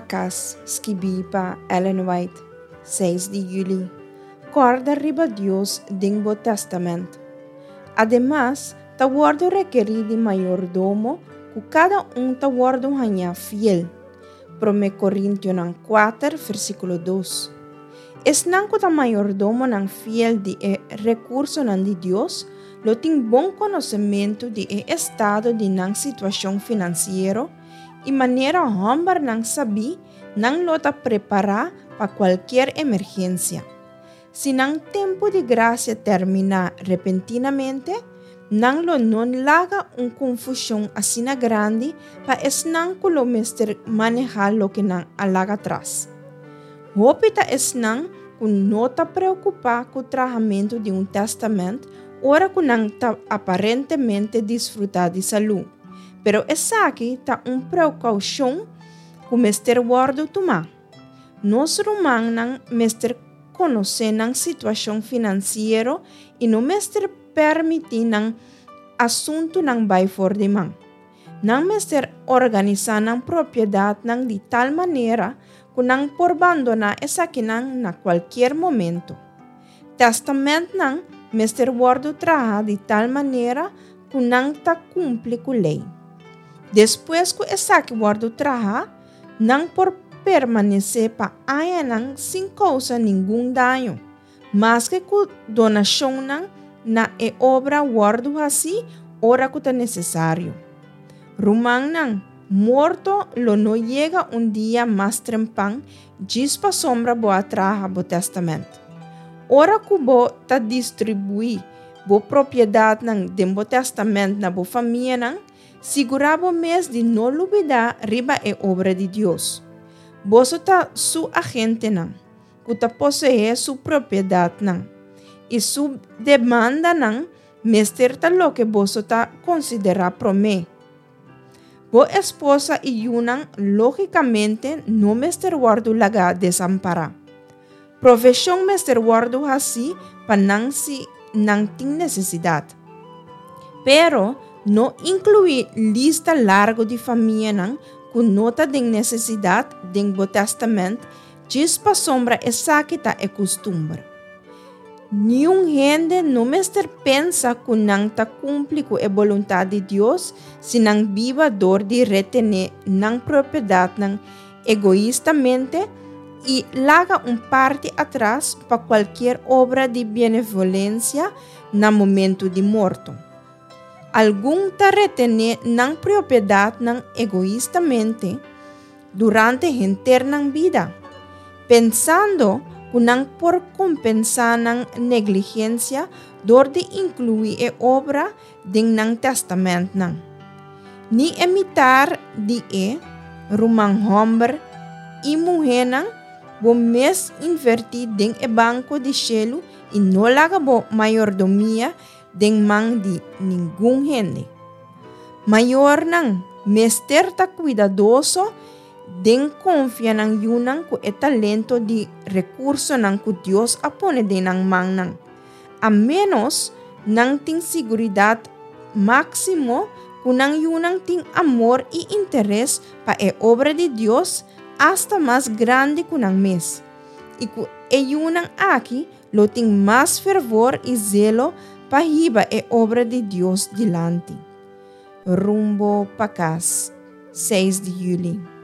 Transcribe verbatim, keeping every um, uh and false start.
pa kas, skibí pa Ellen White, seis di yüli. Kòrda riba Dios den bo tèstamènt. Ademas, ta wòrdu rekerí di mayordomo ku kada un ta wòrdu hañá fiel. Promé Korintionan kuater, versíkulo dos. Esnan ku ta mayordomonan fiel di e rekursonan di Dios, lo tin bon konosementu di e estado di nan situashon finansiero i manera hòmbernan sabí nan lo ta prepará pa kualke emergensia. Si nan tempu di grasia terminá repentinamente, nan lo no laga un konfushon asina grandi pa esnan ku lo mester manehá loke nan a laga atras. Hopi ta esnan ku no ta preokupá ku trahamentu di un tèstamènt ora ku nan ta aparentemente disfrutá di salú. Pero esaki ta un prekoushon ku mester wòrdu tumá. Nos rumannan mester konosé nan situashon finansiero i no mester permití nan asuntunan bai for di man. Nan mester organisá nan propiedatnan di tal manera ku nan por bandoná esakinan na kualke momento. Tèstamentnan mester wòrdu trahá di tal manera ku nan ta kumpli ku lei. Despues ku esaki wòrdu trahá, nan por permanesé pa añanan sin kousa ningun daño, maske ku donashonnan na e obra wòrdu hasí ora ku ta nesesario. Rumannan, morto lo no yega un dia mas trempan djis pasombra bo a traha bo tèstamènt. Ora ku bo ta distribuí bo propiedatnan den bo tèstamènt na bo famianan, sigurá bo mes di no lubidá riba e obra di Dios. Boso ta su agentenan, ku ta poseé su propiedatnan. I su demandanan mester ta loke boso ta konsiderá promé. Bo esposa i yunan lógikamente no mester wòrdu lagá desampará. Provishon mester wòrdu hasí pa nan si nan tin nesesidat. Pero no inkluí lista largu di famianan ku no ta den nesesidat den bo tèstamènt djis pasombra esaki ta e kustumber. Niun hende no mester pensa ku nan ta kumpli ku e boluntat di Dios si nan biba dor di retené nan propiedatnan egoistamente i laga un parti atras pa kualke obra di benevolensia na momento di morto. Algun ta retené nan propiedatnan egoistamente durante henter nan bida, pensando ku nan por kompensá nan negligensia dor di inkluí e obra den nan tèstamentnan. Ni e mitar di e ruman hòmber i muhénan bo mes invertí den e banko di shelu i no laga bo mayordomia den man di ningun hende. Mayornan mester ta kuidadoso den konfia nan yunan ku e talento di rekursonan ku Dios a pone den nan mannan. A ménos nan tin seguridat máksimo ku nan yunan tin amor i interes pa e obra di Dios asta mas grandi ku nan mes. I ku e yunan aki lo tin mas fervor i zelo pa hiba e obra di Dios dilanti. Rumbo pa kas, seis di yüli.